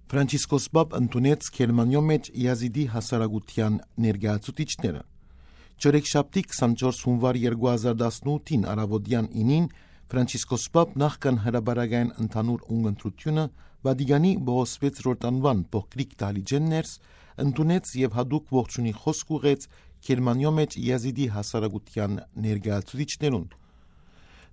Ֆրանցիսկոս Պապ ընդունեց Գերմանիո մեջ Յազիդի հասարակության ներկայացուցիչները։ Չորեքշաբթի 24 հունվար 2018-ին առավոտյան 9-ին Ֆրանցիսկոս Պապ նախքան հրապարակային ընդհանուր ունգընտրությունը Վատիկանի Պողոս 6-րդ անվան փոքրիկ դահլիճեն ներս ընդունեց եւ հատուկ ողջունի խոսք ուղղեց Գերմանիո մեջ Յազիդի հասարակության ներկայացուցիչներուն։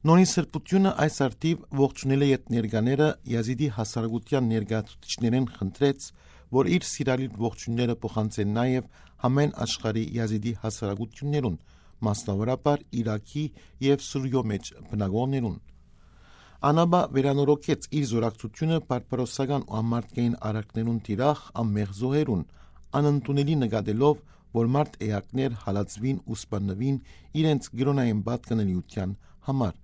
Նորին սրբությունը այս արդիվ ողջունել է այդ ներկաները Յազիդի հասարակության ներկայացուցիչներին խնդրեց, որ իր սիրալիր ողջունները փոխանցեն նաև համեն աշխարհի Յազիդի հասարակություններուն, մասնավորապես Իրաքի եւ Սուրիո մեջ բնակողներուն։ Անաբա վերանորոգեց իր զորակցությունը բարբարոսական ու ամարտկային արարքներուն տիրախ ամմեղ զոհերուն, անընդունելի նկատելով, որ մարդ էակներ հալածվին ու սպաննվին իրենց գրոնային պատկանելիության համար,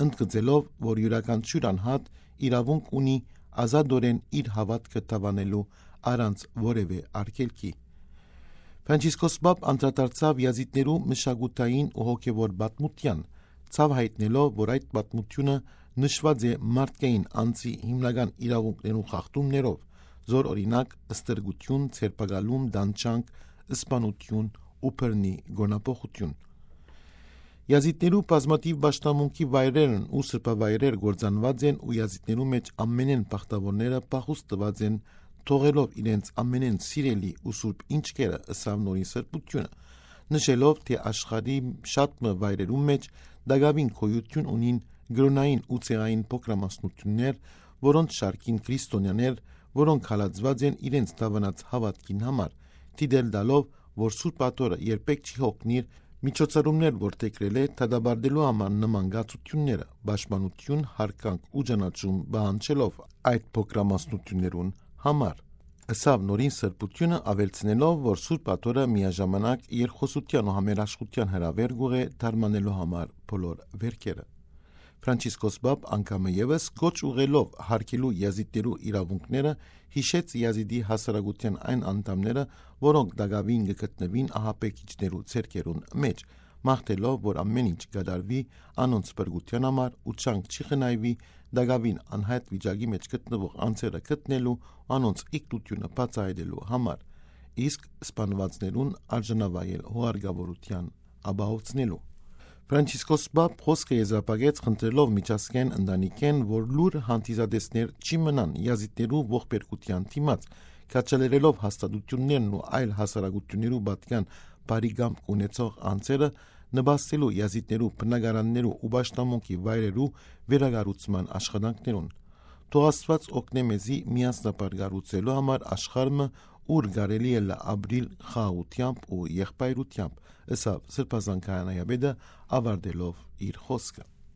ընդգծելով, որ յուրաքանչյուր անհատ իրավունք ունի ազատորեն իր հավատքը տավանելու առանց որևէ արգելքի։ Ֆրանցիսկոս Պապ անդրադարձավ յազիդներու մշակութային ու հոգևոր պատմության, ցավ հայտնելով, որ այդ պատմությունը նշված է մարդկային անձի հիմնական իրավունքներու խախտումներով, զոր օրինակ ստրկություն, ցերպակալում, դանչանք, սպանություն ու բռնի գոնապոխություն։ Յազիդներու բազմաթիվ պաշտամունքի վայրերն ու սրբավայրեր գործանված են ու յազիդներու մեջ ամենեն բախտավորները փախուստ տված են, թողելով իրենց ամենեն սիրելի ու սուրբ ինչքերը ըսավ նորին սրբությունը, նշելով, թե աշխարհի շատ վայրերում մեջ դակավին գոյություն ունին գրոնային ու ցեղային փոքրամասնություններ, որոնց շարքին քրիստոնյաներ, որոնք հալածված են իրենց դավանած հավատքին համար, դիտել տալով, որ Սուրբ Աթորը երբեք չի հոգնիր միջոցառումներ որդեգրել է դադարելու համար նման գացությունները, պաշտպանություն, հարկանք ու ճանաչում բանջելով այդ փոքրամասնություններուն համար։ Ըսավ նորին սրբությունը ավելցնելով, որ Սուրբ Աթորը միաժամանակ երկխոսության ու համերաշխության հրավեր գուղ է դարմանելու համար բոլոր վերքերը։ Ֆրանցիսկոս Պապ անգամը եւս գոչ ուղելով հարգելու յազիդներու իրավունքները հիշեց յազիդի հասարակության այն անդամները, որոնք դակավին գտնվին ահաբեկիչներու ցերկերուն մեջ, մաղթելով, որ ամեն ինչ կդարվի անոնց բրգության համար ու չանք չի խնայվի դակավին անհայտ վիճակի մեջ գտնվող անձերը գտնելու անոնց իգտությունը բացահայտելու համար, իսկ սպանվածներուն արժանավայել հուղարկավորության ապահովցնելու։ Ֆրանցիսկոս Պապ խոսքը եզրափակեց խնդրելով միջազգային ընտանիքեն, որ լուր հանդիսատեսներ չի մնան յազիդներու ողբերգության դիմաց, քաջալերելով հաստատություններն ու այլ հասարակություններու պատկան բարի կամք ունեցող անձերը նպաստելու յազիդներու բնակարաններու ու պաշտամունքի վայրերու վերակառուցման աշխատանքներուն։ Թող Աստված օգնե մեզի միասնաբար կառուցելու համար աշխարհը, ուր կարելի է ապրիլ խաղաղությամբ ու եղբայրությամբ, ըսավ սրբազան քահանայապետը ավարտելով իր խոսքը։